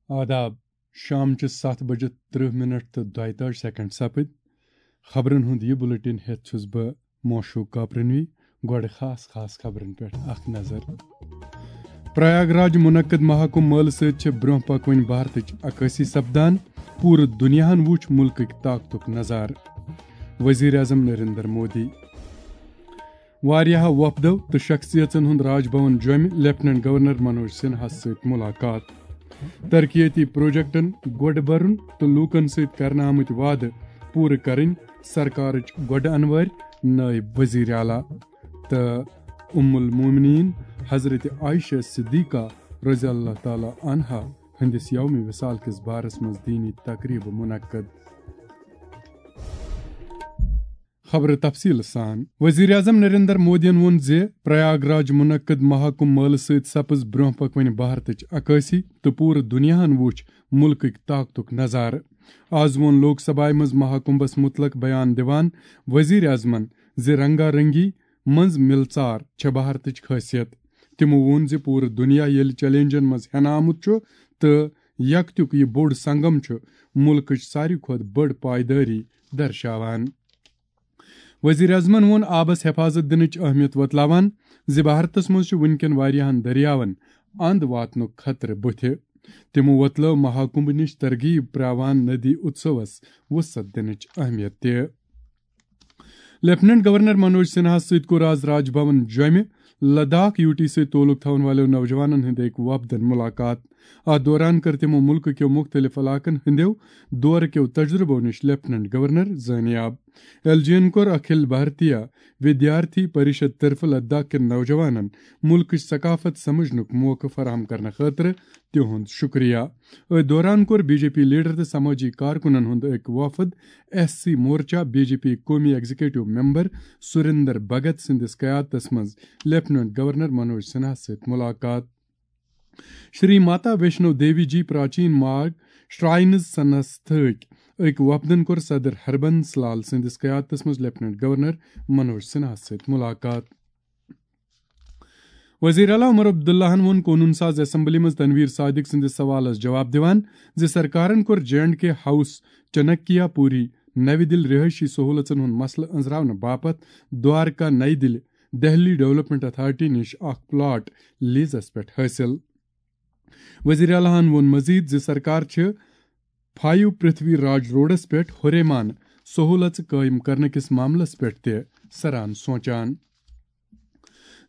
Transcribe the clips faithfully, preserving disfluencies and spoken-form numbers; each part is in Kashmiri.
آداب۔ شامچہِ ستھ بجہِ ترٕہ منٹ تہٕ دۄیتٲجۍ سیکنڈ سپٕدۍ۔ خبرن ہُنٛد یہِ بُلٹن ہٮ۪تھ چھُس بہٕ موشوق کاپرنوی۔ گۄڈٕ خاص خاص خبرن پٮ۪ٹھ اکھ نظر۔ پریاگ راج منعقد مہاکمبھ مٲلہٕ سۭتۍ چھِ برٛونٛہہ پکوٕنۍ بھارتٕچ عکٲسی سپدان۔ پوٗرٕ دُنیاہن وُچھ مُلکٕکۍ طاقتُک نظارٕ۔ وزیر اعظم نریندر مودی۔ واریاہو وفدو تہٕ شخصیژن ہُنٛد راج بھون جوٚمہِ لیفٹیننٹ گورنر منوج سنہاہس سۭتۍ ملاقات۔ ترقیتی پروجیکٹن گۄڈٕ برُن تہٕ لوٗکن سۭتۍ کرنہٕ آمٕتۍ وعدٕ پوٗرٕ کرٕنۍ سرکارٕچ گۄڈٕ انوٲرۍ نٲیِب وزیر اعلیٰ۔ تہٕ ام المومنین حضرت عائشہ صدیقہ رضی اللہ تعالیٰ عنہا ہٕنٛدِس یوم وصال کِس بارس منٛز دینی تقریب منعقد۔ خبرٕ تفصیٖل سان۔ وزیر اعظم نریندر مودیَن ووٚن زِ پریاگ راج منعقد مہاکمبھ مٲلہٕ سۭتۍ سپٕز برٛونٛہہ پکوٕنۍ بھارتٕچ عکٲسی تہٕ پوٗرٕ دُنیاہَن وُچھ مُلکٕکۍ طاقتُک نظارٕ۔ آز ووٚن لوک سبھایہِ منٛز مہاکمبھس مُتلق بیان دِوان وزیر اعظمَن زِ رنگا رنگی منٛز مِلژار چھےٚ بھارتٕچ خٲصیت۔ تِمو ووٚن زِ پوٗرٕ دُنیا ییٚلہِ چیلنجن منٛز ہٮ۪نہٕ آمُت چھُ تہٕ یکتیُک یہِ بوٚڑ سنگم چھُ مُلکٕچ ساروی کھۄتہٕ بٔڑ پایدٲری درشاوان۔ وزیر اعظمن ووٚن آبس حفاظت دِنٕچ اہمیت وۄتلاوان زِ بھارتس منٛز چھُ وُنکٮ۪ن واریاہن دٔریاون اند واتنُک خطرٕ بُتھِ۔ تِمو وۄتلٲو مہاکمبھ نِش ترغیب پراوان ندی اتسوس وسعت دِنٕچ اہمیت تہِ۔ لیفٹیننٹ گورنر منوج سنہاہس سۭتۍ کوٚر آز راج بھون جوٚمہِ لداخ یوٗ ٹی سۭتۍ تعلق تھاون والٮ۪و نوجوانن ہٕنٛدِ أکۍ وفدن ملاقات۔ اتھ دوران کٔر تِمو مُلکہٕ کیو مُختٔلِف علاقن ہٕنٛدٮ۪و دورٕ کیو تجربو نِش لیفٹیننٹ گورنر زٲنیاب۔ ایل جی ین کوٚر اکھل بھارتیہ ودیارتھی پریشد طرفہٕ لداخ کٮ۪ن نوجوانن مُلکٕچ ثقافت سمجھنُک موقعہٕ فراہم کرنہٕ خٲطرٕ تِہُنٛد شُکریہ۔ أتھۍ دوران کوٚر بی جے پی لیڈر تہٕ سمٲجی کارکُنن ہُنٛد أکۍ وفد ایس سی مورچہ بی جے پی قومی ایگزیکٹو ممبر سریندر بھگت سٕنٛدِس قیادتس منٛز لیفٹیننٹ گورنر منوج سنہاہس سۭتۍ ملاقات۔ شری ماتا ویشنو دیوی جی پراچین مارگ شراینز سنستھٕکۍ أکۍ وفدن کوٚر صدر ہربنس لال سٕنٛدِس قیادتس منٛز لیفٹیننٹ گورنر منوج سنہاہس سۭتۍ ملاقات۔ وزیر اعلیٰ عمر عبداللہن ووٚن قونوٗن ساز اسمبلی منٛز تنویر صادق سٕنٛدِس سوالس جواب دِوان زِ سرکارن کوٚر جے اینڈ کے ہاؤس چنکیا پوری نوِ دِلہِ رہٲیشی سہوٗلژن ہُنٛد مسلہٕ أنٛزراونہٕ باپتھ دوارکا نَیہِ دِلہِ دہلی ڈیولپمنٹ اتھارٹی نِش اکھ پلاٹ لیزس پٮ۪ٹھ حٲصِل۔ وزیر اعلیٰ ہن ووٚن مزید زِ سرکار چھِ فایو پرتھوی راج روڈس پٮ۪ٹھ ہُریمان سہوٗلژٕ قٲیِم کرنہٕ کِس معاملس پٮ۪ٹھ تہِ سران سونچان۔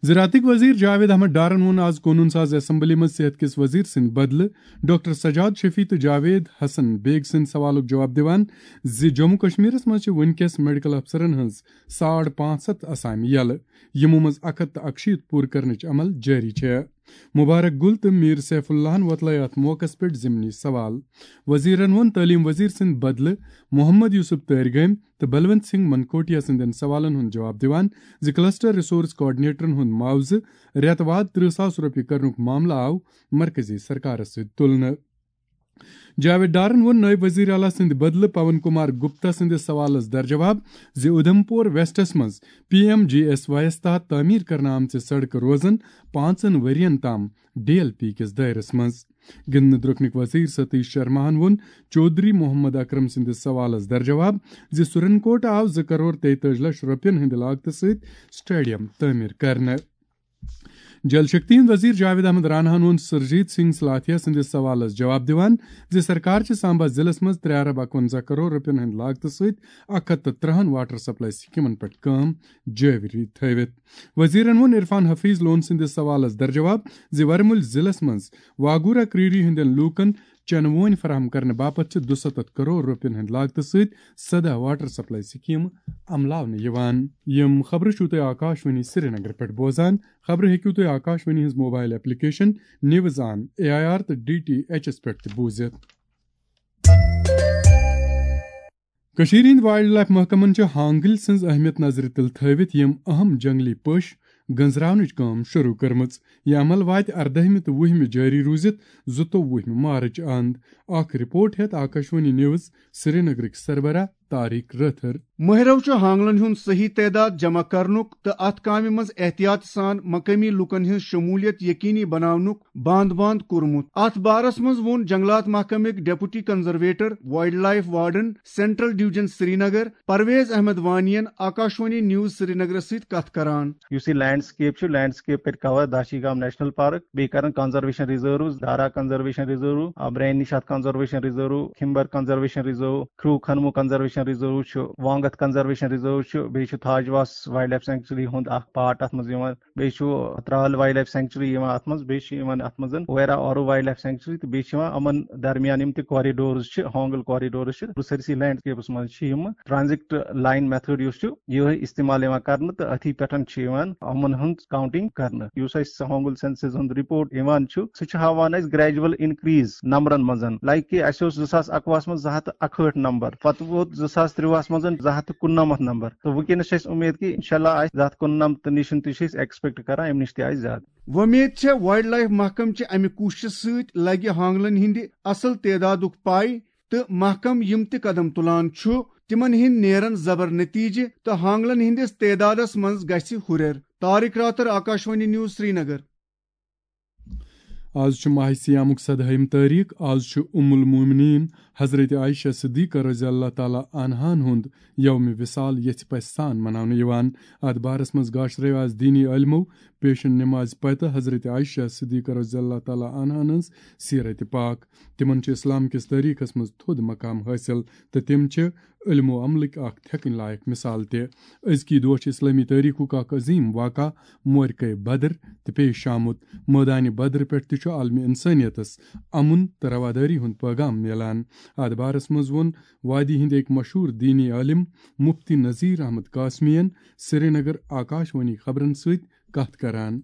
زراعتٕکۍ وزیر جاوید احمد ڈارن ووٚن آز قونوٗن ساز اسمبلی منٛز صحت کِس وزیر سٕنٛدِ بدلہٕ ڈاکٹر سجاد شفیع تہٕ جاوید حسن بیگ سٕنٛدِ سوالُک جواب دِوان زِ جموں کشمیرس منٛز چھِ وُنکیٚس میڈیکل افسرن ہٕنٛز ساڑ پانٛژھ ہتھ اسامہِ یلہٕ، یِمو منٛز اکھ ہتھ تہٕ اکشیٖتھ پوٗرٕ کرنٕچ عمل جٲری چھےٚ۔ مبارک گل تہٕ میر سیف اللہن وۄتلٲے اتھ موقعس پٮ۪ٹھ ضمنی سوال۔ وزیرن ووٚن تعلیٖم وزیر سٕنٛدِ بدلہٕ محمد یوسف تٲرۍ گٲمۍ تہٕ بلونت سنگھ منکوٹیا سٕنٛدٮ۪ن سوالن ہُنٛد جواب دِوان زِ کلسٹر ریسورس کوآرڈینیٹرن ہُنٛد معاوضہٕ رٮ۪تہٕ واد ترٕہ ساس رۄپیہِ کرنُک معاملہٕ آو مرکزی سرکارس سۭتۍ تُلنہٕ۔ جاوید ڈارن ووٚن نٲیِب وزیر اعلیٰ سٕنٛدِ بدلہٕ پون کمار گپتا سٕنٛدِس سوالس درجواب زِ اُدھمپور ویسٹس منٛز P M G S Y یس تحت تعمیٖر کرنہٕ آمژٕ سڑکہٕ روزن پانٛژن ؤرین تام ڈی ایل پی کِس دٲیرس منٛز۔ گِنٛدنہٕ درٛوٚکنٕکۍ وزیر ستیش شرماہن ووٚن چودھری محمد اکرم سٕنٛدِس سوالس درجواب زِ سُرن کوٹ آو زٕ کرور تیتٲجی لچھ رۄپین ہٕنٛدِ لاگتہٕ سۭتۍ سٹیڈیم تعمیٖر کرنہٕ۔ جل شکتی ہٕنٛدۍ وزیر جاوید احمد راناہن ووٚن سرجیت سنگھ سلاتھیا سٕنٛدِس سوالس جواب دِوان زِ سرکار چھِ سامبا ضلعس منٛز ترٛےٚ ارب اکونزہ کرور رۄپین ہٕنٛدِ لاگتہٕ سۭتۍ اکھ ہتھ تہٕ ترٛہن واٹر سپلائی سکیمن پٮ۪ٹھ کٲم جٲری تھٲوِتھ۔ وزیرن ووٚن عرفان حفیظ لون سٕنٛدِس سوالس درجواب زِ ورمُلۍ ضلعس منٛز واگورا کریری ہٕنٛدٮ۪ن لوٗکن چنہٕ وونۍ فراہم کرنہٕ باپتھ چھِ دُسَتتھ کرور رۄپین ہٕنٛدِ لاگتہٕ سۭتۍ سداہ واٹر سپلائی سکیمہٕ عملاونہٕ یِوان۔ یِم خبرٕ چھِو تُہۍ آکاش وانی سرینگر پٮ۪ٹھ بوزان۔ خبرٕ ہیٚکِو تُہۍ آکاش وانی ہٕنٛز mobile application news on A I R تہٕ ڈی ٹی ایچ ایس پٮ۪ٹھ تہِ بوٗزِتھ۔ کٔشیٖرِ ہٕنٛدۍ وائلڈ لائف محکمن چھِ ہانگل سٕنٛز اہمیت نظرِ تل تھٲوِتھ یِم اہم جنگلی پوٚش گنزراونٕچ کٲم شروع کٔرمٕژ۔ یہِ عمل واتہِ اردٲہمہِ تہٕ وُہمہِ جٲری روٗزِتھ زٕتووُہمہِ مارچ اند۔ اکھ رپورٹ ہیتھ آکاشوانی نیوز سرینگرٕکۍ سربراہ طارق رٲتھٕر۔ مٲہرو چھُ ہانگلن ہُنٛد صحیح تعداد جمع کرنُک تہٕ اتھ کامہِ منٛز احتیاط سان مقٲمی لوٗکن ہٕنٛز شموٗلیت یقینی بناونُک باند باند کوٚرمُت۔ اتھ بارس منٛز ووٚن جنگلات محکمٕکۍ deputy conservator, wildlife warden, central division Srinagar, Parvez Ahmad Wani ین آکاشوانی نیوز سرینگرس سۭتۍ کتھ کران۔ یُس یہِ لینڈسکیپ چھُ، لینڈسکیپ کرِ کور داشی گام نیشنل پارک، بیٚیہِ کرن conservation reserve, Dara conservation reserve, ابرین Nishat conservation reserve, Khimber conservation reserve, Khrew Khonmoh conservation reserve چھُ، وانگتھ کنزرویشن ریزرو چھُ، بیٚیہِ چھُ تھاجواس وائلڈ لائف سینکچری ہُنٛد اکھ پارٹ اتھ منٛز یِوان، بیٚیہِ چھُ ترال وائلڈ لائف سینکچری یِوان اتھ منٛز، بیٚیہِ چھُ یِوان اتھ منٛز ویرا آرو وائلڈ لائف سینکچری، تہٕ بیٚیہِ چھِ یِوان یِمن درمیان یِم تہِ کوریڈورز چھِ، ہانگل کوریڈورز چھِ، سٲرسٕے لینڈسکیپس منٛز چھِ یِم ٹرانزٹ لائن میتھڈ یُس چھُ، یِہوٚے استعمال یِوان کرنہٕ، تہٕ أتھی پٮ۪ٹھ چھِ یِوان یِمن ہٕنٛز کاؤنٹنگ کرنہٕ۔ یُس اَسہِ ہانگل سینسس ہُنٛد رپورٹ یِوان چھُ، سُہ چھُ ہاوان اَسہِ گریجول انکریز نمبرن منٛز۔ لائک کہِ اَسہِ اوس زٕ ساس اکوُہس منٛز زٕ ہتھ تہٕ اکہٲٹھ نمبر، پتہٕ ووت زٕ ساس ترٛۆہس منٛز زٕ ہتھ تہٕ کُننمتھ نمبر، تہٕ وٕنکیٚنس چھِ اَسہِ اُمید کہِ انشاءاللہ آسہِ زٕ ہتھ کُننمتھ تہٕ نِش تہِ چھِ أسۍ ایکسپیکٹ کران، اَمہِ نِش تہِ آسہِ زیادٕ۔ وۄمید چھےٚ وائلڈ لائف محکمہٕ چہِ اَمہِ کوٗششہِ سۭتۍ لگہِ ہانگلن ہٕنٛدِ اصل تعدادُک پاے، تہٕ محکمہٕ یِم تہِ قدم تُلان چھُ، تِمن ہٕنٛدۍ نیرن زبر نتیجہٕ تہٕ ہانگلن ہٕنٛدِس تعدادس منٛز گژھِ ہُرٮ۪ر۔ طارق راتھر، آکاشوانی نیوز، سرینگر۔ آز چھُ ماہِ صیامُک سدہٲیِم تٲریخ۔ آز چھُ ام المومنین حضرت عائشہ صدیقہ رضی اللہ تعالیٰ عنہان ہُنٛد یوم وصال یژھِ پژھِ سان مناونہٕ یِوان۔ اتھ بارس منٛز گاشرٲو آز دینی عٲلمو پیشن نماز پتہٕ حضرت عائشہ صدیقہ رضی اللہ تعالیٰ عنہان ہٕنٛز سیرت پاک۔ تِمن چھُ اسلام کِس تٲریخس منٛز تھوٚد مقام حٲصِل تہٕ تِم چھِ علم و عملٕکۍ اکھ تھٮ۪کٕنۍ لایق مثال تہِ۔ أزکی دۄہ چھِ اسلٲمی تٲریخُک اکھ عظیم واقعہ موقعہ بدر تہِ پیش آمُت۔ مٲدانِ بدر پٮ۪ٹھ تہِ چھُ عالمِ انسٲنیتس امن تہٕ روادٲری ہُنٛد پیغام میلان۔ اتھ بارس منٛز ووٚن وادی ہٕنٛدۍ أکۍ مشہوٗر دینی عٲلم مفتی نذیر احمد قاسمی ین سرینگر آکاشوانی خبرن سۭتۍ کتھ کران۔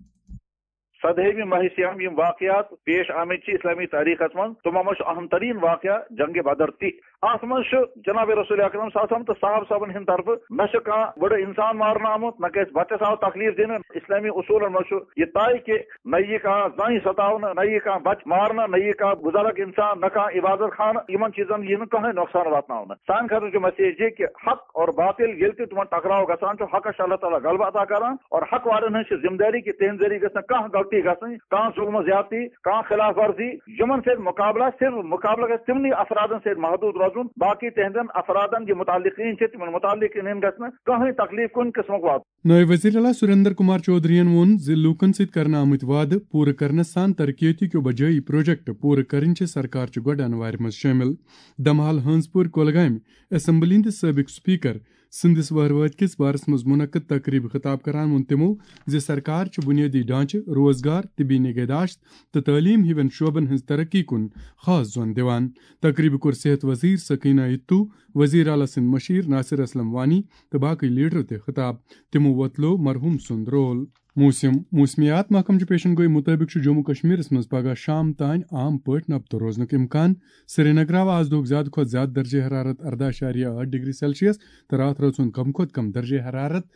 سدہٲیمہِ ماہِ صیام یِم واقعات پیش آمٕتۍ چھِ اسلٲمی تٲریخس منٛز، تِمو منٛز چھُ اہم ترین واقعہ جنگ بدر تہِ۔ اتھ منٛز چھُ جناب رسول اکرم صلی اللہ علیہ وسلم تہٕ صحابہ صٲبن ہٕنٛدِ طرفہٕ نہ چھُ کانٛہہ بٕڑٕ انسان مارنہٕ آمُت، نہ کٲنٛسہِ بچس آو تکلیف دِنہٕ۔ اسلٲمی اصوٗلن منٛز چھُ یہِ طے کہِ نہ یی کانٛہہ زنۍ ستاونہٕ، نہ یی کانٛہہ بچہٕ مارنہٕ، نہ یی کانٛہہ بُزرگ انسان، نہ کانٛہہ عبادت خانہٕ، یِمن چیٖزن یی نہٕ کٕہٕنۍ نۄقصان واتناونہٕ۔ سانہِ خٲطرٕ چھُ میسیج یہِ کہِ حق اور باطل ییٚلہِ تہِ تِمن ٹکراو گژھان چھُ، حقس چھُ اللہ تعالیٰ غلبہٕ عطا کران، اور حق والٮ۪ن ہٕنٛز چھِ ذمہٕ دٲری کہِ تِہنٛدِ ذٔریعہٕ گژھِ نہٕ کانٛہہ غلطی گژھٕنۍ، کانٛہہ ظلم و زیادتی، کانٛہہ خلاف ورزی۔ یِمن سۭتۍ مقابلہ صرف مقابلہ گژھِ تِمنٕے افرادن سۭتۍ محدوٗد روزُن، باقی تِہنٛدٮ۪ن افرادن یہِ متعلقین چھِ، تِمن متعلقین گژھِ نہٕ کٕہٕنۍ تکلیف کُنہِ قٕسمُک واتُن۔ نٲیِب وزیر اعلیٰ سریندر کمار چودھرین ووٚن زِ لوٗکن سۭتۍ کرنہٕ آمٕتۍ وعدٕ پوٗرٕ کرنس سان ترقیتی کیو بجٲیی پروجیکٹ پوٗرٕ کرٕنۍ چھِ سرکار چہِ گۄڈٕ انوارِ منٛز شٲمِل۔ دمحال ہٲنزپورِ کۄلگامہِ اسمبلی ہٕنٛدِ سٲبق سپیکر سٕنٛدِس وہروٲتۍ کِس بارس منٛز منعقد تقریبہِ خطاب کران ووٚن تِمو زِ سرکار چھِ بُنیٲدی ڈھانچہٕ، روزگار، طبی نگہداشت تہٕ تعلیٖم ہِوٮ۪ن شعبن ہٕنٛز ترقی کُن خاص زون دِوان۔ تقریبہِ کوٚر صحت وزیر سکینہ اتو، وزیر اعلیٰ سٕنٛدۍ مشیر ناصر اسلم وانی تہٕ باقٕے لیڈرو تہِ خطاب۔ تِمو وۄتلوو مرحوم سُنٛد رول۔ موسم۔ موسمیات محکمہٕ چہِ پیشن گوئی مُطٲبِق چھُ جموں کشمیرس منٛز پگہہ شام تام عام پٲٹھۍ نبتہٕ روزنُک امکان۔ سرینگر آو آز دۄہُک زیادٕ کھۄتہٕ زیادٕ درجہ حرارت ارداہ اعشاریہ ٲٹھ ڈگری سیلسیس تہٕ راتھ رٲژ ہُنٛد کم کھۄتہٕ کم درجہ حرارت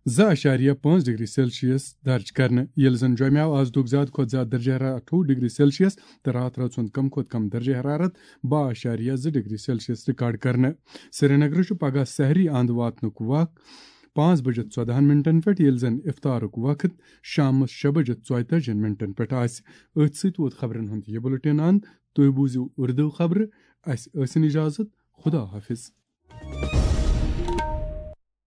زٕ اعشاریہ پانٛژھ ڈگری سیلسیس درج کرنہٕ، ییٚلہِ زن جوٚمہِ آو آز دۄہُک زیادٕ کھۄتہٕ زیادٕ درجہ حرارت اَٹھووُہ ڈگری سیلسیس تہٕ راتھ رٲژ ہُنٛد کم کھۄتہٕ کم درجہ حرارت باہ اعشاریہ زٕ ڈگری سیلسیس ریکارڈ کرنہٕ۔ سرینگرٕ چھُ پگہہ سحری اند واتنُک وق پانٛژھ بجے ژۄدہن منٹن پٮ۪ٹھ، ییٚلہِ زن افطارُک وقت شامس شےٚ بجے ژۄیتٲجِہن منٹن پٮ۪ٹھ آسہِ۔ أتھۍ سۭتۍ ووت خبرن ہُنٛد یہِ بُلٹن اند۔ تُہۍ بوٗزِو اردو خبرٕ۔ اسہِ ٲسِن اجازت۔ خدا حافظ۔